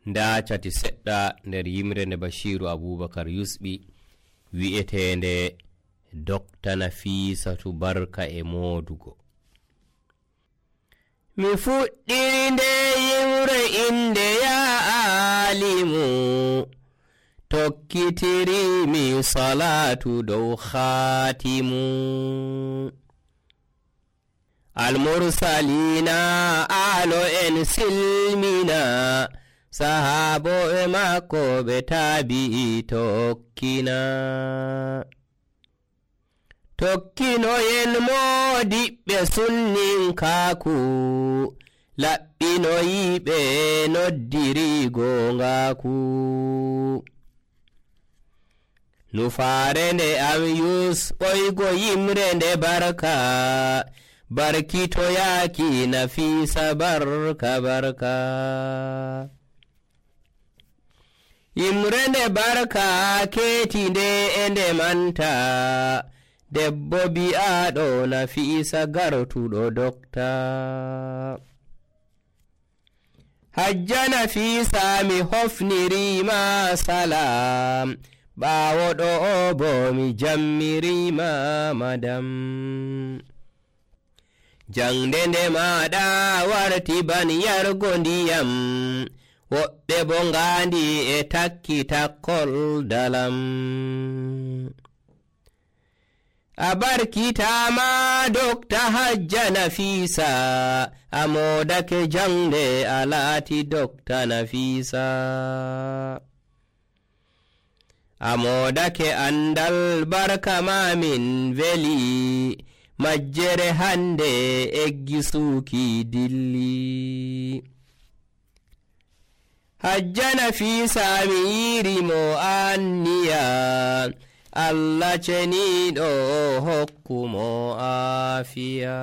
nda cati seɗɗa nder yimre nde Bashiru Abubakar yusɓi wi'etende Dr. Nafisatu Barka e modugo. Mi fuɗɗiri nde yimre inde ya alimu, tokkitiri mi salatu dow khatimu. Almursalina alo en silmina, sahabo e makko ɓe tabi'i tokkina. Tokkinoyen modiɓɓe sunninkaku, laɓɓinoyiɓe noddiri gongaku. Nufaare nde am ɓoygo yimre nde barka, barkitoyaki Nafisa barka barka. Yimre nde barka keti nde e nde manta, debbo bi'aɗo Nafisa gartuɗo dokta. Hajja Nafisa mi hofnirima salam, ɓawoɗo o bo mi jammirima madam. Jangde nde maɗa warti ban yargo ndiyam, woɓɓe bo ngandi e takki takkol dalam. A barkitama Dokta Hajja Nafisa, a modake jangde a laati Dokta Nafisa. A modake andal barka mamin veli, majjere hande eggisuki dilli. Hajja Nafisa mi yirimo anniya, Allah ceniɗo hokkumo afiya.